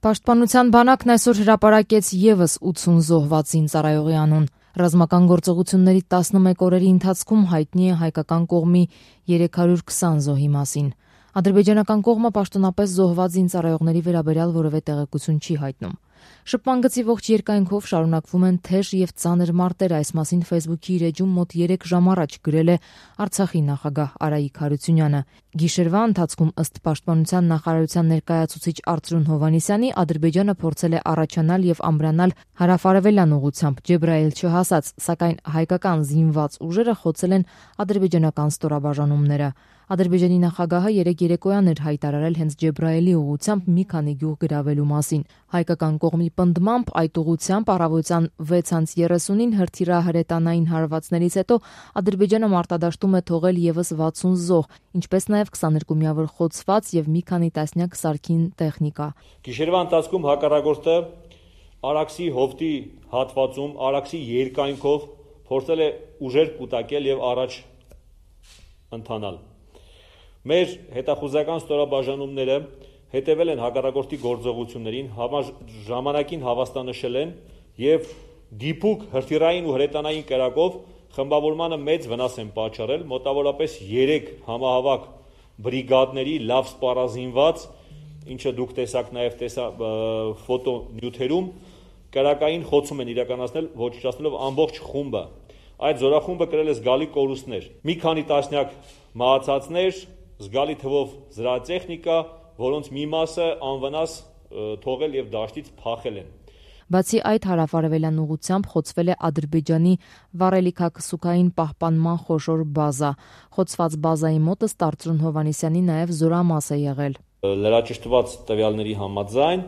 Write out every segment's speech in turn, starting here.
Պաշտպանության բանակն այսօր հրապարակեց ևս 80 զոհված զինծառայողի անուն։ Ռազմական գործողությունների 11 օրերի ընթացքում հայտնի է հայկական կողմի 320 զոհի մասին։ Ադրբեջանական կողմը պաշտոնապես զոհված զինծառայողների վերաբերյալ որևէ տեղեկություն չի հայտնում։ Շփման գծի ողջ երկայնքով շարունակվում են թեժ եւ ծանր մարտեր, այս մասին Facebook-ի իր էջում մոտ 3 ժամ առաջ գրել է Արցախի նախագահ Արայիկ Հարությունյանը։ Գիշերվա ընթացքում ըստ Պաշտպանության նախարարության ներկայացուցիչ Արծրուն Հովհաննիսյանի Ադրբեջանը փորձել է առաջանալ եւ ամրանալ հարավարևելյան ուղությամբ Ջեբրայել չհասած, սակայն հայկական զինված ուժերը խոցել են ադրբեջանական ստորաբաժանումները։ Ադրբեջանի նախագահը երեկ երեկոյան էր հայտարարել հենց Ջեբրայելի ուղությամբ մի քանի գյուղ գրավելու մասին։ Հայկական կողմի պնդմամբ այդ ուղությամբ առավոտյան 6:30-ին հրթիռահրետանային հարվածներից հետո Ադրբեջանը մարտադաշտում է թողել ևս 60 զոհ, ինչպես նաև 22 միավոր խոցված եւ մի քանի տասնյակ սարքին տեխնիկա։ Գիշերվա ընթացքում հակառակորդը Արաքսի հովտի հատվածում Արաքսի երկայնքով փորձել է ուժեր կուտակել եւ առաջ ընթանալ։ Մեր հետախուզական ստորաբաժանումները հետևել են հակառակորդի գործողություններին, ժամանակին հավաստանշել են եւ դիպուկ հրթիռային ու հրետանային կերակով խմբավորմանը մեծ վնաս են պատճառել, մոտավորապես 3 համահավաք բրիգադների լավ սպառազինված, ինչը դուք տեսաք նաեւ ֆոտոնյութերում, կերակային խոցում են իրականացնել, ոչնչացնելով ամբողջ խումբը։ Այդ զորախումբը կրել է զգալի կորուստներ։ Մի քանի տասնյակ մահացածներ, զգալի թվով զրահատեխնիկա, որոնց մի մասը անվնաս թողել եւ դաշտից փախել են։ Բացի այդ, հարավարևելյան ուղությամբ խոցվել է Ադրբեջանի վառելիքակսուկային պահպանման խոշոր բազա։ Խոցված բազայի մոտ ըստ Արծրուն Հովհաննիսյանի նաև զորամաս է եղել։ Լրաճշտված տվյալների համաձայն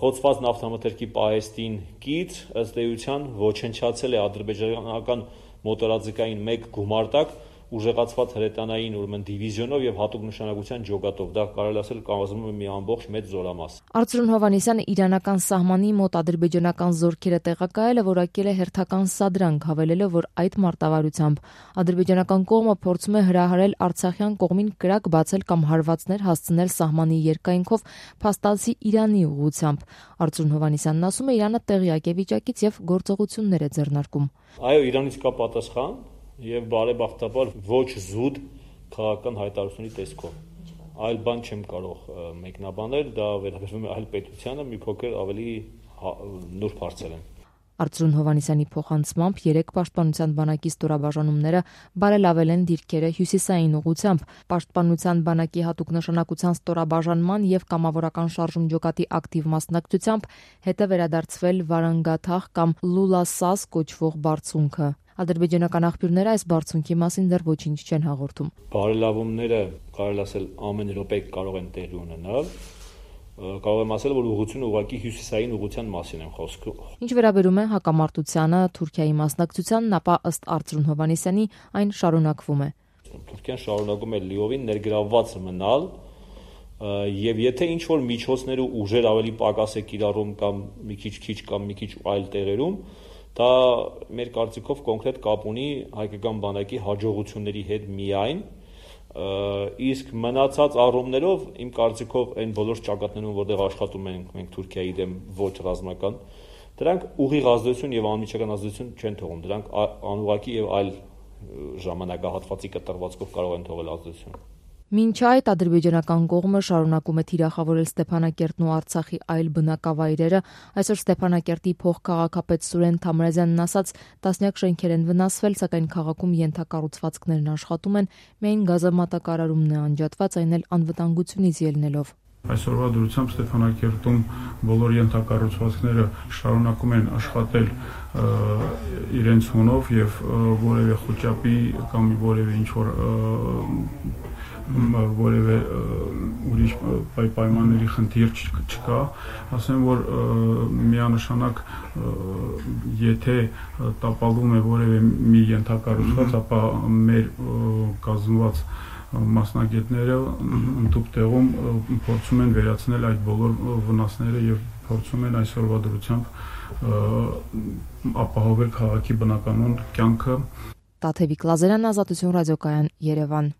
խոցված նավթամթերքի պահեստին կից ըստ էության ոչնչացել է ադրբեջանական մոտորաձգային 1 գումարտակ ուժեղացված հրետանային դիվիզիոնով եւ հատուկ նշանակության ջոկատով, դա կարելի ասել կազմում է մի ամբողջ մեծ զորամաս։ Արծրուն Հովհաննիսյանը իրանական սահմանի մոտ ադրբեջանական զորքերը տեղակայելը որակել է հերթական սադրանք, հավելելով, որ այդ մարտավարությամբ ադրբեջանական կողմը փորձում է հրահարել արցախյան կողմին կրակ բացել կամ հարվածներ հասցնել սահմանի երկայնքով փաստացի Իրանի ուղությամբ։ Արծրուն Հովհաննիսյանն ասում է, Իրանը տեղյակ է վիճակից եւ գործողություններ է ձեռնարկում։ Այո, Իրանից կա պատասխան եւ բարեբախտաբար ոչ զուտ քաղաքական հայտարարությունների տեսքով։ Այլ բան չեմ կարող մեկնաբանել, դա վերաբերվում է այլ պետությանը, մի փոքր ավելի նուրբ հարցեր են։ Արծրուն Հովհաննիսյանի փոխանցմամբ 3 պաշտպանության բանակի ստորաբաժանումները բարելավել են դիրքերը հյուսիսային ուղությամբ։ Պաշտպանության բանակի հատուկ նշանակության ստորաբաժանման եւ կամավորական շարժում ջոկատի ակտիվ մասնակցությամբ հետ է վերադարձվել Վարանգաթախ կամ Լուլասաս կոչվող բարձունքը։ Ադրբեջանական աղբյուրները այս բարձունքի մասին դեռ ոչինչ չեն հաղորդում։ Բարելավումները, կարելի ասել, ամեն րոպե կարող են տեղի ունենալ։ Կարող եմ ասել, որ ուղղությունը ուղղակի հյուսիսային ուղղության մասին են խոսքը։ Ինչ վերաբերում է հակամարտությանը, Թուրքիայի մասնակցությանն, ապա ըստ Արծրուն Հովհաննիսյանի այն շարունակվում է։ Թուրքիան շարունակում է լիովին ներգրավված մնալ եւ եթե ինչ որ միջոցներ ու ուժեր ավելի պակաս է կիրառում կամ մի քիչ այլ տեղերում, դա մեր կարծիքով կոնկրետ կապ ունի հայկական բանակի հաջողությունների հետ միայն, իսկ մնացած առումներով իմ կարծիքով այն բոլոր ճակատներում, որտեղ աշխատում ենք մենք Թուրքիայի դեմ ոչ ռազմական, դրանք ուղիղ ազդեցություն եւ անմիջական ազդեցություն չեն թողում, դրանք անուղղակի եւ այլ ժամանակահատվածի կտրվածքով կարող են թողել ազդեցություն։ Մինչ այդ ադրբեջանական կողմը շարունակում է թիրախավորել Ստեփանակերտն ու Արցախի այլ բնակավայրերը, այսօր Ստեփանակերտի փոխքաղաքապետ Սուրեն Թամրազյանն ասաց, տասնյակ շենքեր են վնասվել, սակայն քաղաքում ենթակառուցվածքներն աշխատում են, միայն գազամատակարարումն է անջատված, այն էլ անվտանգությունից ելնելով։ Այսօրվա դրությամբ Ստեփանակերտում բոլոր ենթակառուցվածքները շարունակում են աշխատել իրենց հունով եւ որևէ խոճապի կամ որևէ ինչ-որ որևէ ուրիշ պայմանների խնդիր չկա, ասեմ, որ միանշանակ եթե տապալվում է որևէ մի ենթակառուցված, ապա մեր կազմված մասնագետները ընդհանուր տեղում փորձում են վերացնել այդ բոլոր վնասները եւ փորձում են այսօրվա դրությամբ ապահովել քաղաքի բնականոն կյանքը։ Տաթևիկ Լազարյան, Ազատություն ռադիոկայան, Երևան։